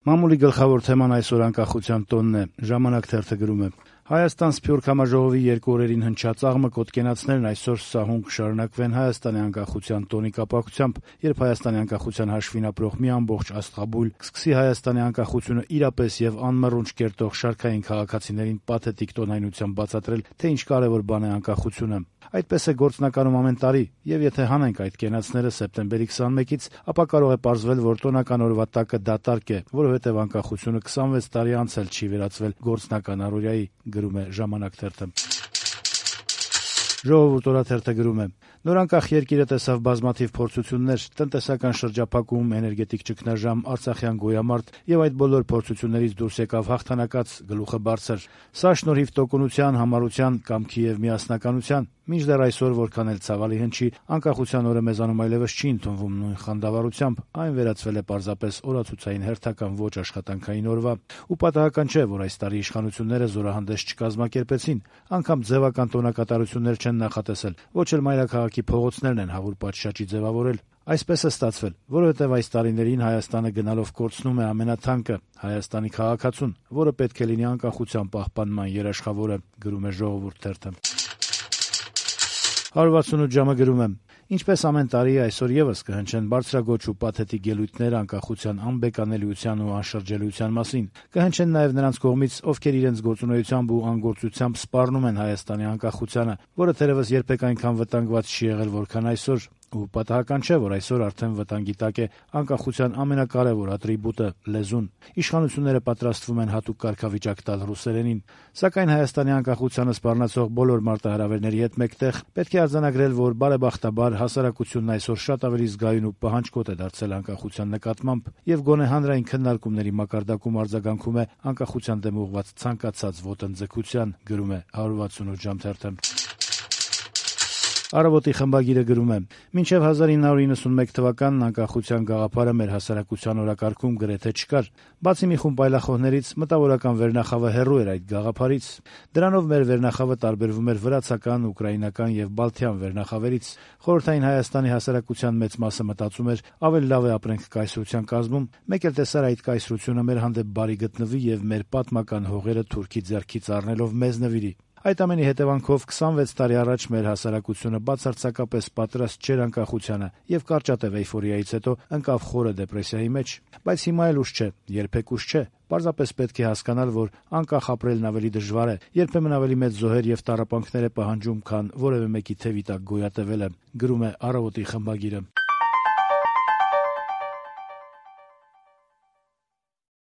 Մամուլի գլխավոր թեման այսօր անկախության տոնն է։ «Ժամանակ» թերթը գրում է. Հայաստան Սփյուռք համաժողովի 2 օրերին հնչած աղմը կոտկենացներն այսօր սահուն կշարունակվեն Հայաստանի անկախության տոնի կապակցությամբ, երբ Հայաստանի անկախության հաշվին ապրող մի ամբողջ աստղաբույլ կսկսի Հայաստանի անկախությունը իրապես եւ անմռունչ կերտող շարքային քաղաքացիներին պաթետիկ տոնայնությամբ բացատրել, թե ինչ կարեւոր բան է անկախությունը։ Այդպես է գործնականում ամեն տարի, եւ եթե հանենք այդ կենացները սեպտեմբերի 21-ից, ապա կարող է պարզվել, որ տոնական օրվա տակը դատարկ է, որովհետեւ անկախությունը 26 տարի անց էլ չի վերածվել գործնական առօրյայի, գրում է «Ժամանակ» թերթը։ «Ժողովուրդ» օրաթերթը գրում է. նորանկախ երկիրը տեսավ բազմաթիվ փորձություններ, տնտեսական շրջափակում, էներգետիկ ճգնաժամ, արցախյան գոյամարտ եւ այդ բոլոր փորձություններից դուրս եկավ հաղթանակած, գլուխը բարձր։ Սա շնորհիվ տոկունության, համառության, կամքի եւ միասնականության։ Մինչդեռ այսօր, որքան էլ ցավալի հնչի, անկախության օրը մեզանում այլևս չի ընդունվում նույն խանդավառությամբ, այն վերածվել է պարզապես օրացուցային հերթական ոչ աշխատանքային օրվա։ Ու պատահական չէ, որ այս տարի իշխանությունները զորահանդես չկազմակերպեցին, անգամ ձևական տոնակատարություններ չեն նախատեսել, ոչ էլ մայրաքաղաքի փողոցներն են հավուր պատշաճի ձևավորել։ Այսպես է ստացվել, որովհետև այս տարիներին Հայաստանը գնալով կորցնում է ամենաթանկը՝ Հայաստանի քաղաքացուն, որը պետք է լինի անկախության պահպանման երաշխավորը, գրում է «Ժողովուրդ» թերթը։ 168 ժամը գրում է. ինչպես ամեն տարի, այսօր եւս կհնչեն բարձրագոչ ու պաթետիկ ելույթներ անկախության անբեկանելիության ու անշրջելիության մասին։ Կհնչեն նաեւ նրանց կողմից, ովքեր իրենց գործունեությամբ ու անգործությամբ սպառնում են Հայաստանի անկախությանը, որը թերևս երբեք այնքան վտանգված չի եղել, որքան այսօր։ Ու պատահական չէ, որ այսօր արդեն վտանգի տակ է անկախության ամենակարևոր ատրիբուտը՝ լեզուն։ Իշխանությունները պատրաստվում են հատուկ կարգավիճակ տալ ռուսերենին։ Սակայն Հայաստանի անկախությանը սպառնացող բոլոր մարտահրավերների հետ մեկտեղ պետք է արձանագրել, որ բարեբախտաբար հասարակությունն այսօր շատ ավելի զգայուն ու պահանջկոտ է դարձել անկախության նկատմամբ եւ գոնե հանրային քննարկումների մակարդակում արձագանքում է անկախության դեմ ուղղված ցանկացած ոտնձգության, գրում է 168 ժամ թերթը։ «Առավոտ»-ի խմբագիրը գրում է. մինչև 1991 թվականն անկախության գաղափարը մեր հասարակության օրակարգում գրեթե չկար։ Բացի մի խումբ այլախոհներից, մտավորական վերնախավը հեռու էր այդ գաղափարից։ Դրանով մեր վերնախավը տարբերվում էր վրացական, ուկրաինական եւ բալթյան վերնախավերից։ Խորհրդային Հայաստանի հասարակության մեծ մասը մտածում էր՝ ավելի լավ է ապրենք կայսրության կազմում, մեկ էլ տեսար այդ կայսրությունը մեր հանդեպ բարի գտնվի եւ մեր պատմական հողերը թուրքի ձեռքից առնելով մեզ նվիրի։ Այդ ամենի հետևանքով 26 տարի առաջ մեր հասարակությունը բացարձակապես պատրաստ չէր անկախությանը եւ կարճատև էյֆորիայից հետո ընկավ խորը դեպրեսիայի մեջ։ Բայց հիմա էլ ուշ չէ, երբեք ուշ չէ։ Պարզապես պետք է հասկանալ, որ անկախ ապրելն ավելի դժվար է, երբեմն ավելի մեծ զոհեր եւ տառապանքներ է պահանջում, քան որևէ մեկի թևի տակ գոյատևելը, գրում է «Առավոտ»-ի խմբագիրը։